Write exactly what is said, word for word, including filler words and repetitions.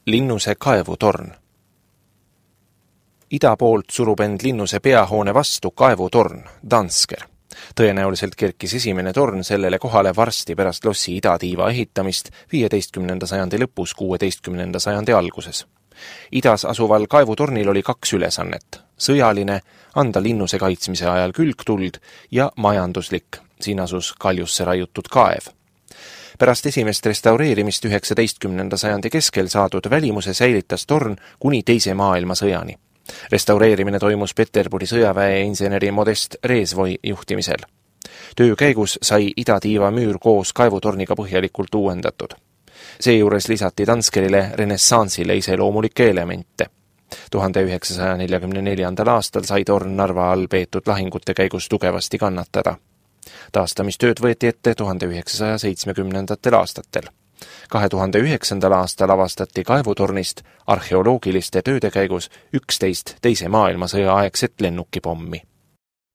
Linnuse kaevutorn. Ida poolt surub end Linnuse peahoone vastu kaevutorn, Dansker. Tõenäoliselt kerkis esimene torn sellele kohale varsti pärast lossi idatiiva ehitamist viieteistkümnenda sajandi lõpus, kuueteistkümnenda sajandi alguses. Idas asuval kaevutornil oli kaks ülesannet. Sõjaline, anda Linnuse kaitsmise ajal külgtuld ja majanduslik, siin asus kaljusse raiutud kaev. Pärast esimest restaureerimist üheksateistkümnenda sajandi keskel saadud välimuse säilitas torn kuni teise maailmasõjani. Restaureerimine toimus Peterburi sõjaväe inseneri Modest Reesvoi juhtimisel. Töö käigus sai idatiiva müür koos kaevutorniga põhjalikult uuendatud. Seejuures lisati Danskerile renessansile iseloomulikke elemente. tuhande üheksasaja neljakümne neljandal aastal sai torn Narva all peetud lahingute käigus tugevasti kannatada. Taastamistööd võeti ette tuhande üheksasaja seitsmekümnendatel aastatel. kahe tuhande üheksandal aastal avastati kaevutornist arheoloogiliste tööde käigus üksteist teise maailmasõja aegset lennukipommi.